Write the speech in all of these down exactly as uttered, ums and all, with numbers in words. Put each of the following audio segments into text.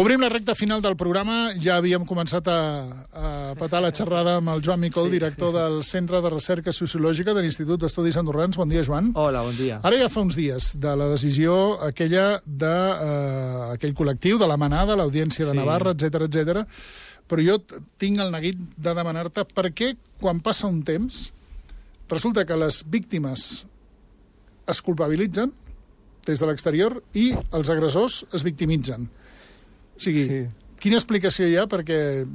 Obrim la recta final del programa. Ja havíem començat a, a petar la xerrada amb el Joan Micol, sí, director del Centre de Recerca Sociològica de l'Institut d'Estudis Andorrans. Bon dia, Joan. Hola, bon dia. Ara ja fa uns dies de la decisió aquella d'aquell eh, col·lectiu, de la manada, l'Audiència de Sí. Navarra, etcètera, etcètera. Però jo tinc el neguit de demanar-te per què, quan passa un temps, resulta que les víctimes es culpabilitzen des de l'exterior i els agressors es victimitzen. O sigui, sí. Quina explicació hi ha perquè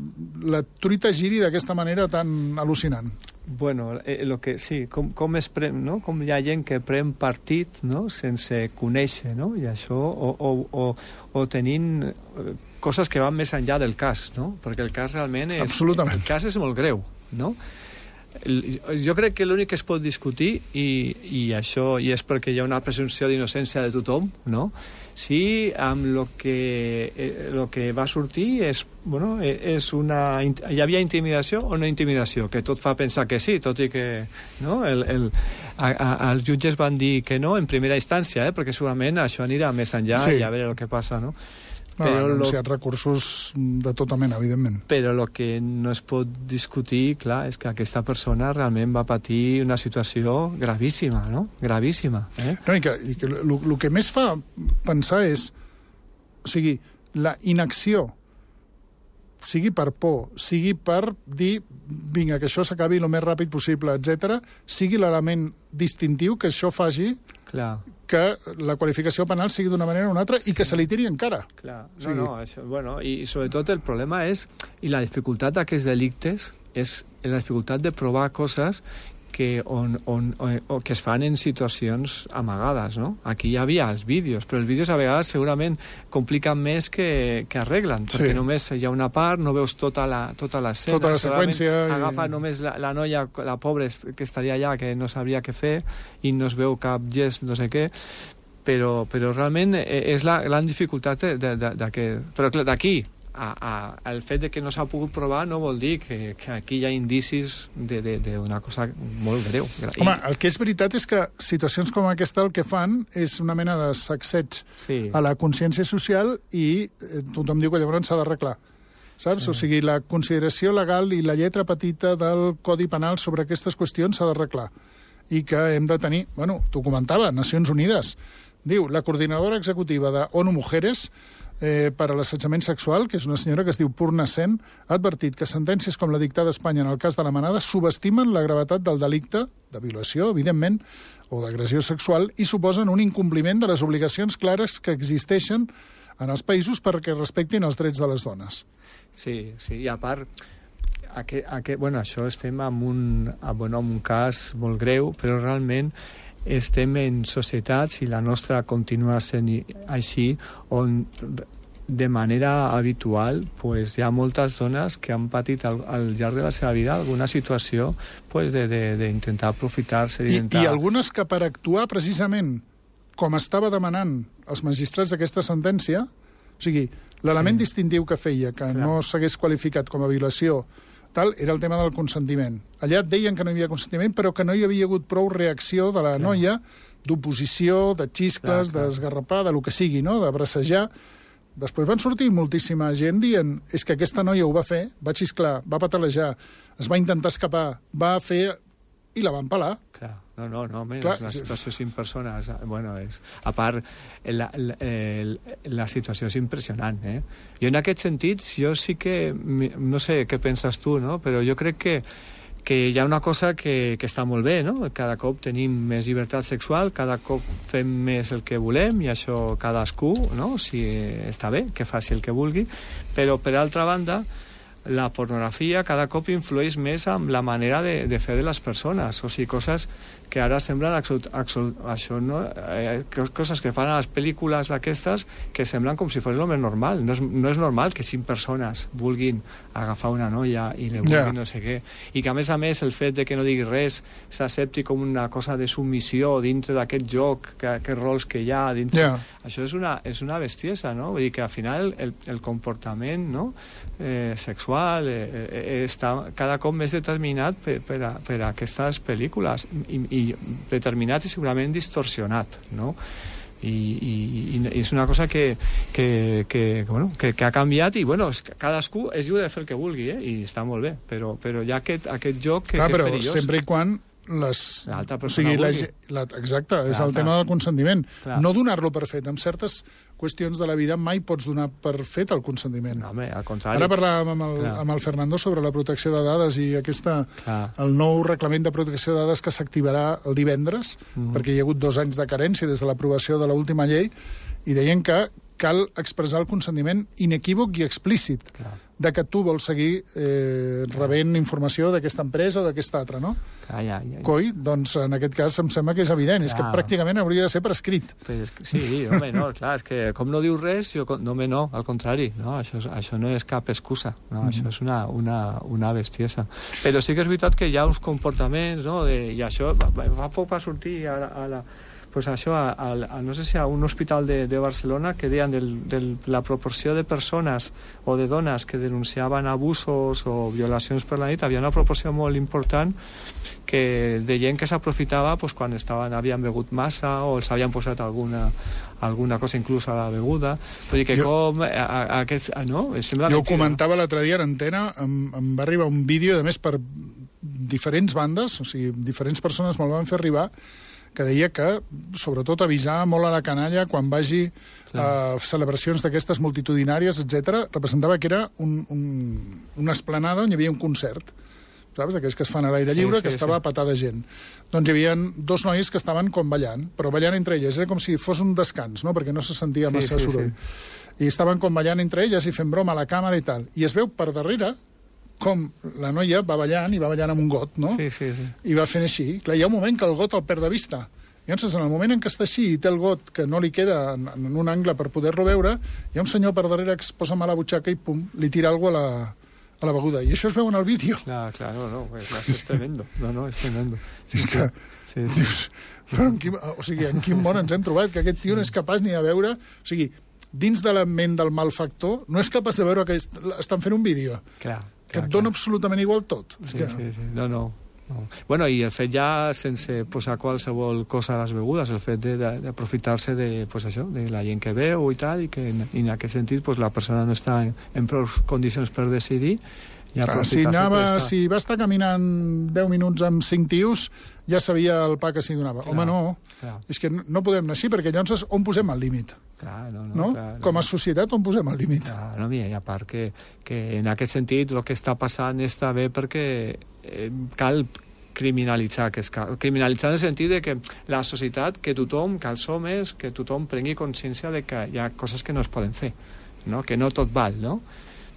la truita giri d'aquesta manera tan al·lucinant? Bueno, eh, lo que, sí, com, com, es pren, no? Com hi ha gent que pren partit, no? Sense conèixer, no? I això, o, o, o, o tenint coses que van més enllà del cas, no? Perquè el cas realment és... Absolutament. El cas és molt greu, no? Jo crec que l'únic que es pot discutir, i, i això i és perquè hi ha una presumpció d'innocència de tothom, no? Si amb el que, eh, lo que va sortir és, bueno, és una, hi havia intimidació o no intimidació, que tot fa pensar que sí, tot i que no, el, el, a, a, els jutges van dir que no en primera instància, eh, perquè segurament això anirà més enllà, sí. I a veure el que passa, no? No, han anunciat lo... recursos de tota mena, evidentment. Però el que no es pot discutir, clar, és que aquesta persona realment va patir una situació gravíssima, no? Gravíssima. Eh? No, i que, i que el que més fa pensar és, o sigui, la inacció, sigui per por, sigui per dir, vinga, que això s'acabi el més ràpid possible, etcètera, sigui l'element distintiu que això faci... Clar. Que la qualificació penal sigui d'una manera o una altra i que sí. Se li tiri encara. Clar, no, o sigui... no, això, bueno, i sobretot el problema és, i la dificultat d'aquests delictes, és la dificultat de provar coses que, on, on, on, on, que es fan en situacions amagades, no? Aquí hi havia els vídeos, però els vídeos a vegades segurament compliquen més que, que arreglen, perquè sí. Només hi ha una part, no veus tota la, tota l'escena, tota la seqüència. Agafa i... només la, la noia, la pobra que estaria allà, que no sabria què fer, i no es veu cap gest, no sé què, però, però realment és la gran dificultat de, de, de que... Però d'aquí, A, a, el fet de que no s'ha pogut provar no vol dir que, que aquí hi ha indicis d'una cosa molt greu. Home, el que és veritat és que situacions com aquesta el que fan és una mena de sacseig sí. A la consciència social i eh, tothom diu que llavors s'ha d'arreglar. Saps? Sí. O sigui, la consideració legal i la lletra petita del Codi Penal sobre aquestes qüestions s'ha d'arreglar. I que hem de tenir... Bueno, t'ho comentava, Nacions Unides. Diu, la coordinadora executiva de ONU Mujeres Eh, per a l'assetjament sexual, que és una senyora que es diu Purna Sen, ha advertit que sentències com la dictada a Espanya en el cas de la manada subestimen la gravetat del delicte, de violació, evidentment, o d'agressió sexual, i suposen un incompliment de les obligacions clares que existeixen en els països perquè respectin els drets de les dones. Sí, sí, i a part... Aquest, aquest, bueno, això estem en un, bueno, en un cas molt greu, però realment estem en societats, i la nostra continua sent així, on de manera habitual pues, hi ha moltes dones que han patit al, al llarg de la seva vida alguna situació pues, d'intentar aprofitar-se. I, I algunes que per actuar precisament com estava demanant els magistrats d'aquesta sentència, o sigui, l'element sí. Distintiu que feia que Clar. No s'hagués qualificat com a violació tal, era el tema del consentiment. Allà et deien que no hi havia consentiment, però que no hi havia hagut prou reacció de la clar. Noia, d'oposició, de xiscles, d'esgarrapar, de lo que sigui, no? De bracejar. Després van sortir moltíssima gent dient és que aquesta noia ho va fer, va xisclar, va patalejar, es va intentar escapar, va fer... i la van pelar. Clar, no, no, no, és una situació cinc persones. Bueno, és, a part, la, la, la situació és impressionant, eh? Jo en aquest sentit, jo sí que, no sé què penses tu, no? Però jo crec que, que hi ha una cosa que, que està molt bé, no? Cada cop tenim més llibertat sexual, cada cop fem més el que volem, i això cadascú, no? Si està bé, que faci el que vulgui, però per altra banda, la pornografia cada cop influeix més en la manera de, de fer de les persones, o sigui, coses que ara semblen absolut, absolut, això, no? Eh, coses que fan a les pel·lícules d'aquestes que semblen com si fos el més normal. No és, no és normal que cinc persones vulguin agafar una noia i li vulguin yeah. no sé què. I que, a més a més, el fet de que no digui res s'accepti com una cosa de submissió dintre d'aquest joc, que, aquests rols que hi ha dintre... Yeah. Això és una, és una bestiesa, no? Vull dir que, al final, el, el comportament no? eh, sexual eh, eh, està cada cop més determinat per, per, a, per a aquestes pel·lícules i, i determinat i segurament distorsionat, no? I, i, i és una cosa que, que, que, bueno, que, que ha canviat i bueno, cadascú és lliure de fer el que vulgui, eh? I està molt bé, però, però hi ha aquest, aquest joc que, Clar, que és però perillós. Sempre i quan les... l'altra o persona sigui, la, vulgui. la, exacte, clar, és el clar. tema del consentiment. Clar. No donar-lo per fet. En certes qüestions de la vida mai pots donar per fet el consentiment. No, home, al contrari. Ara parlàvem amb el, amb el Fernando sobre la protecció de dades i aquesta, el nou reglament de protecció de dades que s'activarà el divendres, mm-hmm. perquè hi ha hagut dos anys de carència des de l'aprovació de l'última llei, i deien que cal expressar el consentiment inequívoc i explícit clar. De que tu vols seguir eh, rebent informació d'aquesta empresa o d'aquesta altra, no? Ah, ja, ja, ja. Coi, doncs en aquest cas em sembla que és evident, clar. És que pràcticament hauria de ser per escrit. Pues, sí, home, no, clar, és que com no dius res, jo, no, home, no, al contrari, no, això, això no és cap excusa, no, mm-hmm. això és una, una, una bestiesa. Però sí que és veritat que hi ha uns comportaments, no, de, i això, fa poc va sortir a, a la... Pues això, a, a, a, no sé si a un hospital de, de Barcelona que deien de del, la proporció de persones o de dones que denunciaven abusos o violacions per la nit, havia una proporció molt important que de gent que s'aprofitava pues, quan estaven, havien begut massa o els havien posat alguna, alguna cosa inclús a la beguda. Vull dir que jo, com... A, a, a aquest, no? Sembla jo ho mentida, comentava l'altre dia en antena, em, em va arribar un vídeo, a més per diferents bandes, o sigui, diferents persones me'l van fer arribar, que deia que, sobretot, avisar molt a la canalla quan vagi a uh, celebracions d'aquestes multitudinàries, etcètera, representava que era un, un, una esplanada on hi havia un concert, saps? Aquells que es fan a l'aire sí, lliure, sí, que estava sí. patada de gent. Doncs hi havia dos nois que estaven com ballant, però ballant entre elles. Era com si fos un descans, no? Perquè no se sentia massa sí, sí, soroll. Sí. I estaven com ballant entre elles i fent broma a la càmera i tal. I es veu per darrere com la noia va ballant, i va ballant amb un got, no? Sí, sí, sí. I va fent així. Clar, hi ha un moment que el got el perd de vista. Llavors, en el moment en què està així i té el got que no li queda en, en un angle per poder-lo veure, hi ha un senyor per darrere que es posa mà a la butxaca i pum, li tira alguna cosa a la, a la beguda. I això es veu en el vídeo. Clar, clar, no, no, és, és tremendo. No, no, és tremendo. Sí, és que, sí, sí. Dius, però en quin, o sigui, en quin món ens hem trobat que aquest tio no és capaç ni de veure... O sigui, dins de la ment del malfactor, no és capaç de veure que est, estan fent un vídeo. Clar. Que et dona absolutament igual tot. Sí, és que... sí, sí. No, no. no. Bueno, i el fet ja, sense posar qualsevol cosa a les begudes, el fet d'aprofitar-se de, pues això, de la gent que veu i tal, i que en, en aquest sentit pues, la persona no està en, en prou condicions per decidir. Clar, si, anava, si va estar caminant deu minuts amb cinc tios, ja sabia el pa que s'hi donava. Clar, home, no. Clar. És que no podem anar així, perquè llavors on posem el límit? Clar, no, no, no? Clar, no. Com a societat, on posem el límit? Clar, no, mira, i a part que, que en aquest sentit el que està passant està bé perquè eh, cal criminalitzar, que és cal, criminalitzar en el sentit de que la societat, que tothom, que els homes, que tothom prengui consciència de que hi ha coses que no es poden fer, no? Que no tot val, no?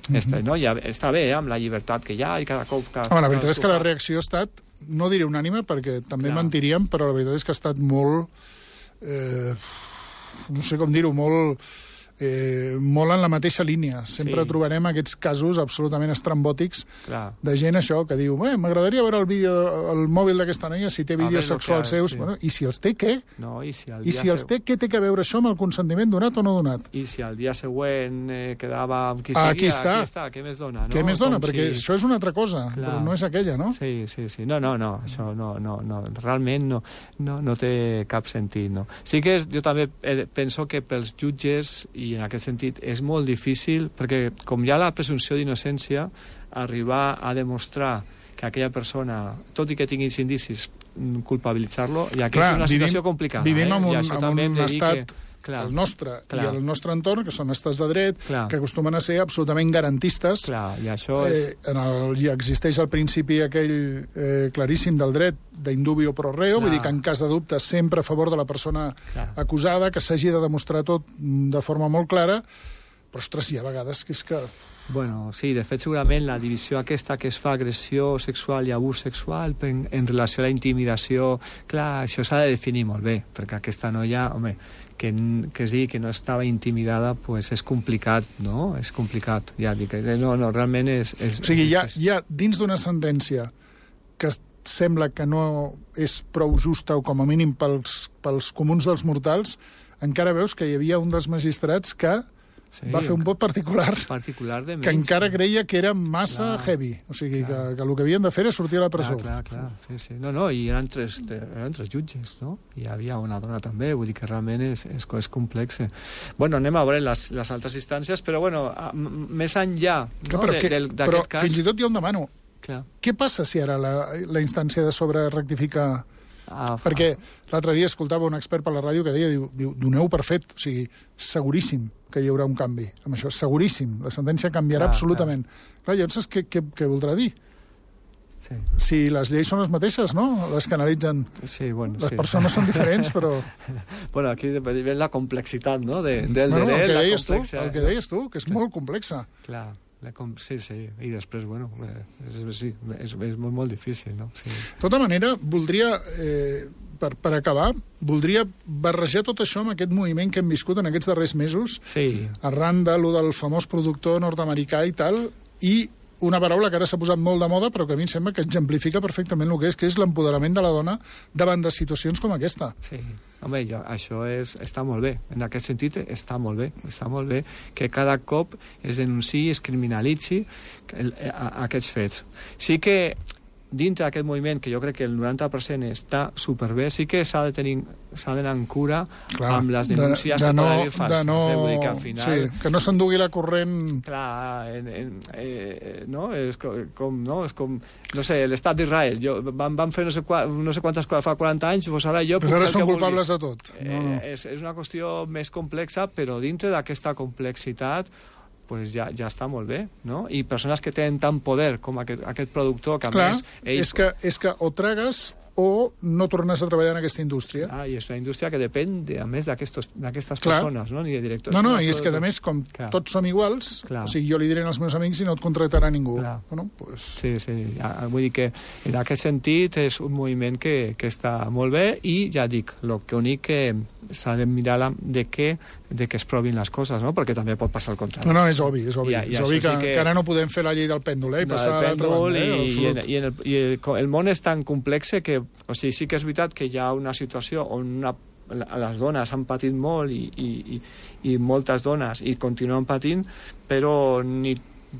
Mm-hmm. Està, no? Ja, està bé, eh, amb la llibertat que hi ha i cada cop... Cada Home, la veritat és que la reacció ha estat, no diré unànime, perquè també Clar. mentiríem, però la veritat és que ha estat molt... Eh, no sé com dir-ho, molt... Eh, molt en la mateixa línia. Sempre sí. trobarem aquests casos absolutament estrambòtics Clar. de gent això que diu eh, m'agradaria veure el vídeo, el mòbil d'aquesta noia si té vídeos sexuals que, seus. Sí. Bueno, I si els té, què? No, i si, I si els té, què té que veure això amb el consentiment donat o no donat? I si al dia següent eh, quedava amb qui ah, seguia, aquí està. aquí està, què més dona? No? Què més dona? Com Perquè si... això és una altra cosa, Clar. però no és aquella, no? Sí, sí, sí. No, no, no, això no, no, no. realment no, no, no té cap sentit, no. Sí que jo també penso que pels jutges, i en aquest sentit és molt difícil, perquè com hi ha la presumpció d'innocència, arribar a demostrar que aquella persona, tot i que tinguis indicis, culpabilitzar-lo, ja que Clar, és una situació vivim, complicada. Vivim eh? en un, en un estat... Que... Clar, el nostre clar. i el nostre entorn, que són estats de dret, clar. que acostumen a ser absolutament garantistes. Clar, i això és... eh, en el, i existeix el principi aquell eh, claríssim del dret d'indubio pro reo, clar. vull dir que en cas de dubte sempre a favor de la persona clar. acusada, que s'hagi de demostrar tot de forma molt clara, però, ostres, hi ha vegades que és que... Bueno, sí, de fet, segurament la divisió aquesta que es fa agressió sexual i abús sexual en, en relació a la intimidació, clar, això s'ha de definir molt bé, perquè aquesta noia, home, que, que es digui que no estava intimidada, pues és complicat, no? És complicat, ja dic, no, no, realment és... és o sigui, hi ha, hi ha dins d'una sentència que sembla que no és prou justa, o com a mínim pels, pels comuns dels mortals, encara veus que hi havia un dels magistrats que sí, va fer un vot particular, particular de menys, que encara creia que era massa clar, heavy. O sigui, que, que el que havien de fer era sortir a la presó. Clar, clar, clar. Sí, sí. No, no, i eren tres, eren tres jutges, no? I hi havia una dona també, vull dir que realment és, és, és complex. Bueno, anem a veure les, les altres instàncies, però bueno, a, més enllà, no? Clar, però de, que, del, però cas... fins i tot jo em demano, clar, què passa si ara la, la instància de sobre rectifica... Ah, perquè l'altre dia escoltava un expert per la ràdio que deia, diu, diu doneu per fet, o sigui, seguríssim que hi haurà un canvi amb això, seguríssim, la sentència canviarà clar, absolutament. Clar, clar llavors què, què, què voldrà dir? Sí. Si les lleis són les mateixes, no? Les que analitzen... Sí, bueno, les sí. persones són diferents, però... Bueno, aquí ve la complexitat, no?, de, del bueno, dret, el que la deies complexa... Tu, el que deies tu, que és molt complexa. Clar. Com... Sí, sí, i després, bueno, és, sí, és, és molt, molt difícil, no? Sí. De tota manera, voldria, eh, per, per acabar, voldria barrejar tot això amb aquest moviment que hem viscut en aquests darrers mesos, sí, arran de lo del famós productor nord-americà i tal, i una paraula que ara s'ha posat molt de moda, però que a mi em sembla que exemplifica perfectament el que és, que és l'empoderament de la dona davant de situacions com aquesta. Sí. Home, jo, això és, està molt bé. En aquest sentit, està molt bé. Està molt bé que cada cop es denunciï, es criminalitzi el, a, a aquests fets. Sí que dintre d'aquest moviment, que jo crec que el noranta per cent està superbé, sí que s'ha de tenir s'ha d'anar en cura clar, amb les denúncies de, de que no, poden haver falses. No, eh? Vull dir que al final... Sí, que no s'endugui la corrent... Clar, en, en, eh, no? És com, com, no? És com, no sé, l'estat d'Israel. Jo, van, van fer no sé, qua, no sé quantes coses fa quaranta anys, doncs ara jo... Però ara són culpables de tot. No, no. Eh, és, és una qüestió més complexa, però dintre d'aquesta complexitat pues ja, ja està molt bé, no? I persones que tenen tant poder com aquest, aquest productor, que a clar, més... Ell... És, que, és que o tragues o no tornes a treballar en aquesta indústria. Ah, i és una indústria que depèn, de, a més, d'aquestes persones, no? Ni de directors... No, no, i és que, a més, com clar, tots som iguals, clar, o sigui, jo li diré als meus amics i no et contractarà ningú. Bueno, pues... Sí, sí, vull dir que en aquest sentit és un moviment que, que està molt bé i, ja dic, el que únic que s'ha de mirar la, de què de que es provin les coses, no? Perquè també pot passar el contrari. No, no, és obvi, és obvi. I, i és obvi que, sí que... que ara no podem fer la llei del pèndol, eh? I passar a l'altra banda, eh? I, i, en, i, en el, i el, el món és tan complex que, o sigui, sí que és veritat que hi ha una situació on una, les dones han patit molt i, i, i, i moltes dones i continuen patint, però ni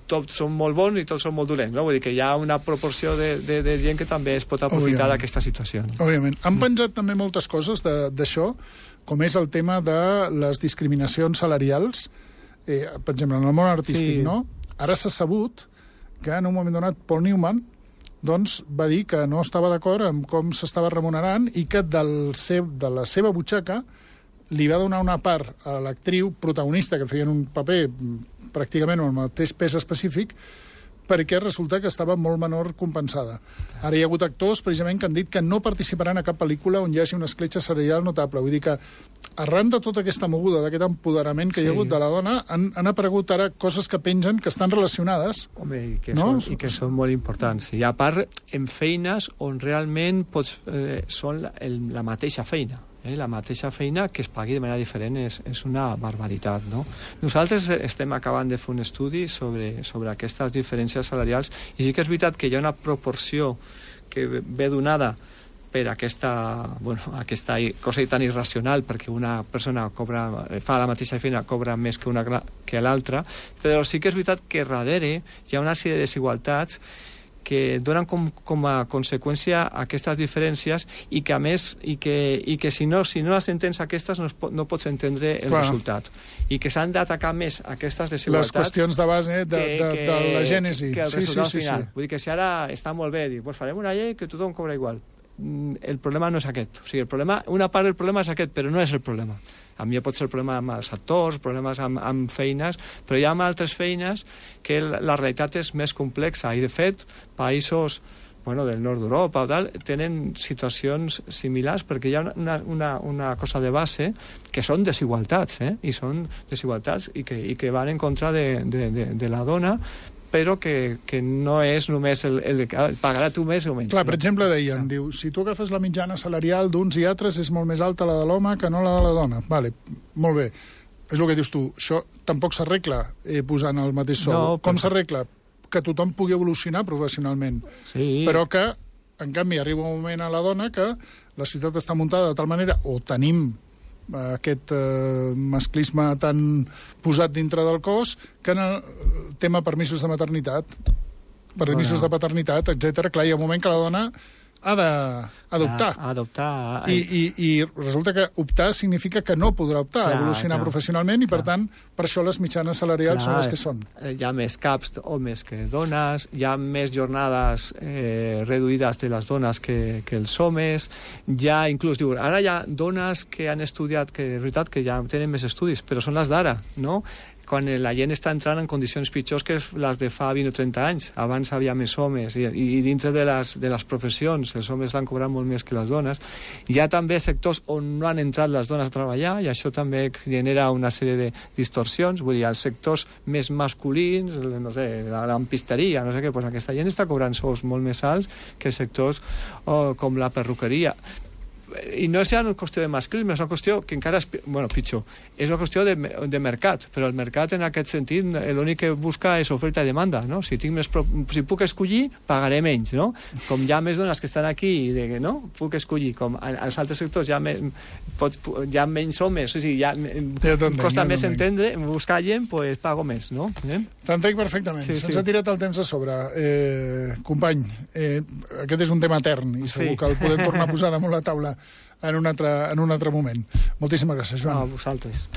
tots són molt bons i tots són molt dolents, no? Vull dir que hi ha una proporció de, de, de gent que també es pot aprofitar d'aquesta situació. Òbviament. Han penjat també moltes coses d'això, com és el tema de les discriminacions salarials, eh, per exemple, en el món artístic, sí, no? Ara s'ha sabut que en un moment donat Paul Newman doncs, va dir que no estava d'acord amb com s'estava remunerant i que del seu, de la seva butxaca li va donar una part a l'actriu protagonista, que feien un paper pràcticament amb el mateix pes específic, perquè resulta que estava molt menor compensada. Ara hi ha hagut actors, precisament, que han dit que no participaran a cap pel·lícula on hi hagi una escletxa salarial notable. Vull dir que, arran de tota aquesta moguda, d'aquest empoderament que sí, hi ha hagut de la dona, han, han aparegut ara coses que pengen, que estan relacionades. Home, i que, no? són, i que són molt importants. I a part, en feines on realment pots, eh, són la, el, la mateixa feina. Eh, la mateixa feina que es pagui de manera diferent és, és una barbaritat, no? Nosaltres estem acabant de fer un estudi sobre, sobre aquestes diferències salarials i sí que és veritat que hi ha una proporció que ve donada per aquesta, bueno, aquesta cosa tan irracional, perquè una persona cobra, fa la mateixa feina, cobra més que una que l'altra, però sí que és veritat que darrere hi ha una sèrie de desigualtats que donen com, com a conseqüència aquestes diferències i que a més i que, i que si no si no les entens aquestes no, es pot, no pots entendre el Clar. resultat i que s'han d'atacar més aquestes desigualtats, les qüestions de base de, de, de, de la gènesi que el sí, resultat sí, sí, final. Sí. Vull dir que si ara està molt bé dir, pues farem una llei que tothom cobra igual, el problema no és aquest, o sigui, el problema, una part del problema és aquest, però no és el problema. A mi pot ser el problema amb els actors, problemes amb, amb feines, però hi ha altres feines que la realitat és més complexa i, de fet, països bueno, del nord d'Europa o tal, tenen situacions similars perquè hi ha una, una, una cosa de base que són desigualtats, eh? I són desigualtats i que, i que van en contra de, de, de, de la dona, però que, que no és només el, el, el pagarà tu més o menys. Clar, per exemple, deien, diu, si tu agafes la mitjana salarial d'uns i altres és molt més alta la de l'home que no la de la dona. Vale, molt bé. És el que dius tu. Això tampoc s'arregla eh, posant el mateix sou. No, Com però... s'arregla? Que tothom pugui evolucionar professionalment. Sí. Però que, en canvi, arriba un moment a la dona que la ciutat està muntada de tal manera, o tenim aquest eh, masclisme tan posat dintre del cos, que en el tema permisos de maternitat, permisos bueno. de paternitat, etcètera. Clar, hi ha un moment que la dona ha d'adoptar. Ha d'adoptar. I, i, I resulta que optar significa que no podrà optar, clar, evolucionar clar, professionalment, i per clar. tant, per això les mitjanes salarials clar, són les que són. Hi ha més caps homes que dones, hi ha més jornades eh, reduïdes de les dones que, que els homes, hi ha inclús, diu, ara hi ha dones que han estudiat, que és veritat que ja tenen més estudis, però són les d'ara, no?, quan la gent està entrant en condicions pitjors que les de fa vint o trenta anys. Abans havia més homes, i, i dintre de les, de les professions els homes van cobrar molt més que les dones. Hi ha també sectors on no han entrat les dones a treballar, i això també genera una sèrie de distorsions. Vull dir, els sectors més masculins, no sé, la lampisteria, no sé què, doncs aquesta gent està cobrant sous molt més alts que sectors oh, com la perruqueria. I no és ja una qüestió de masclisme, és una qüestió que encara és, bueno, pitjor, és una qüestió de, de mercat, però el mercat en aquest sentit l'únic que busca és oferta i demanda, no? Si tinc més, si puc escollir, pagaré menys, no? Com hi ha més dones que estan aquí, de, no? Puc escollir, com als altres sectors hi ha, me, pot, hi ha menys homes, o sigui, ja, ja costa ja més entendre, buscar gent, pues pago més, no? Eh? T'entenc perfectament, sí, se'ns sí. ha tirat el temps a sobre. Eh, company, eh, aquest és un tema etern, i segur sí. que el podem tornar a posar damunt la taula en un altre, en un altre moment. Moltíssimes gràcies, Joan. A vosaltres.